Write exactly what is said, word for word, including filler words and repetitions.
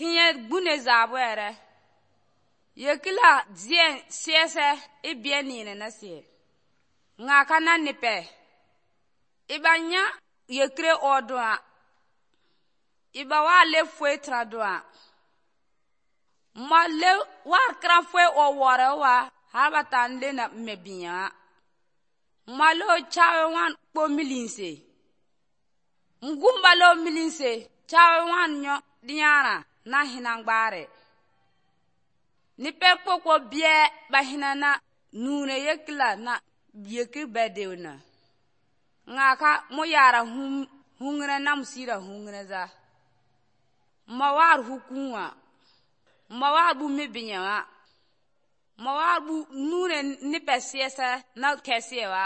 Kinye gbune zaabwɛrɛ. Yekila zien siɛsɛ i biɛ niine na sie. Ŋa ka na nipɛ. Iba nya yekire ɔdua. Iba wa le foe tra dua. Ma le wa kra foe o wɔrɛ wa har ba tan le na me binya. Ma lo chawe wan kpo milinse. Ngumba lo milinse chawe wan nyo dinyara na hinangbaare. Nipe kpokpo biɛ ba hina na nuune yekila na yekir bɛ na. Ŋa ka mu yara hum hungre na musira hungre za. Ma war hukunwa. Ma war bu mi binyawa. Ma war bu nuune nipe siɛsɛ na kɛsewa.